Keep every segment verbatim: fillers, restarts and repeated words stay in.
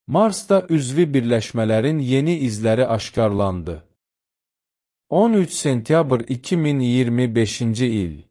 Marsda üzvi birləşmələrin yeni izləri aşkarlandı. on üç sentyabr iki min iyirmi beşinci il.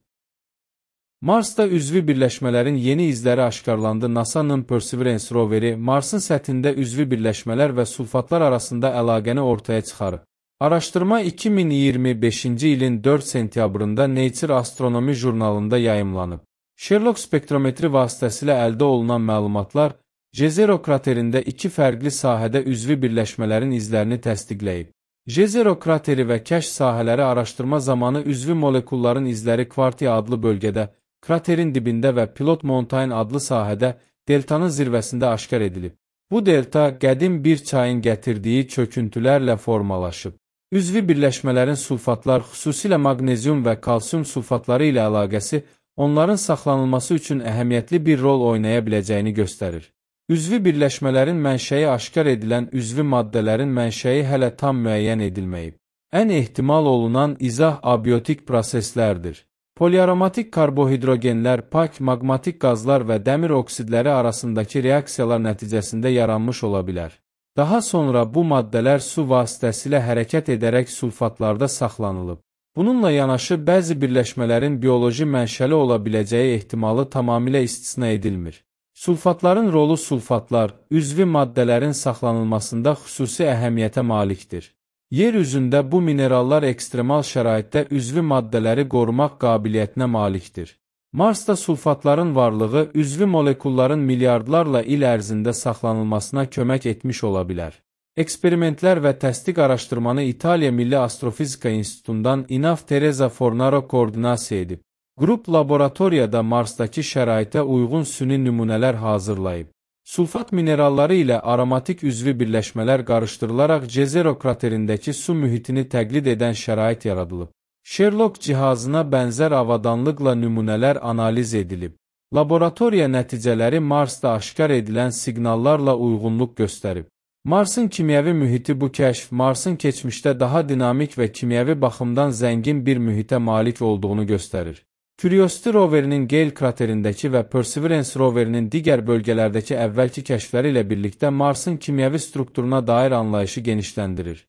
Marsda üzvi birləşmələrin yeni izləri aşkarlandı. NASA'nın Perseverance roveri Marsın səthində üzvi birləşmələr və sulfatlar arasında əlaqəni ortaya çıxarıb. Araşdırma iki min iyirmi beşinci ilin dörd sentyabrında Nature Astronomy jurnalında yayımlanıb. Sherlock spektrometri vasitəsilə əldə olunan məlumatlar Jezero kraterində iki fərqli sahədə üzvi birləşmələrin izlərini təsdiqləyib. Jezero krateri və kəşf sahələri araşdırma zamanı üzvi molekulların izləri Kvartiya adlı bölgədə, kraterin dibində və Pilot Mountain adlı sahədə deltanın zirvəsində aşkar edilib. Bu delta qədim bir çayın gətirdiyi çöküntülərlə formalaşıb. Üzvi birləşmələrin sulfatlar, xüsusilə maqnezium və kalsium sulfatları ilə əlaqəsi onların saxlanılması üçün əhəmiyyətli bir rol oynaya biləcəyini göstərir. Üzvi birləşmələrin mənşəyi aşkar edilən üzvi maddələrin mənşəyi hələ tam müəyyən edilməyib. Ən ehtimal olunan izah abiotik proseslərdir. Poliaromatik karbohidrogenlər, pak, maqmatik qazlar və dəmir oksidləri arasındakı reaksiyalar nəticəsində yaranmış ola bilər. Daha sonra bu maddələr su vasitəsilə hərəkət edərək sulfatlarda saxlanılıb. Bununla yanaşı bəzi birləşmələrin bioloji mənşəli ola biləcəyi ehtimalı tamamilə istisna edilmir. Sulfatların rolu sulfatlar, üzvi maddələrin saxlanılmasında xüsusi əhəmiyyətə malikdir. Yer üzündə bu minerallar ekstremal şəraitdə üzvi maddələri qorumaq qabiliyyətinə malikdir. Marsda sulfatların varlığı üzvi molekulların milyardlarla il ərzində saxlanılmasına kömək etmiş ola bilər. Eksperimentlər və təsdiq araşdırmanı İtaliya Milli Astrofizika İnstitutundan İnaf Teresa Fornaro koordinasiya edib. Qrup laboratoriyada Marsdakı şəraitə uyğun süni nümunələr hazırlayıb. Sulfat mineralları ilə aromatik üzvi birləşmələr qarışdırılaraq Jezero kraterindəki su mühitini təqlid edən şərait yaradılıb. Sherlock cihazına bənzər avadanlıqla nümunələr analiz edilib. Laboratoriya nəticələri Marsda aşkar edilən siqnallarla uyğunluq göstərib. Marsın kimyəvi mühiti bu kəşf, Marsın keçmişdə daha dinamik və kimyəvi baxımdan zəngin bir mühitə malik olduğunu göstərir. Curiosity roverinin Gale kraterindəki və Perseverance roverinin digər bölgələrdəki əvvəlki kəşfləri ilə birlikdə Marsın kimyəvi strukturuna dair anlayışı genişləndirir.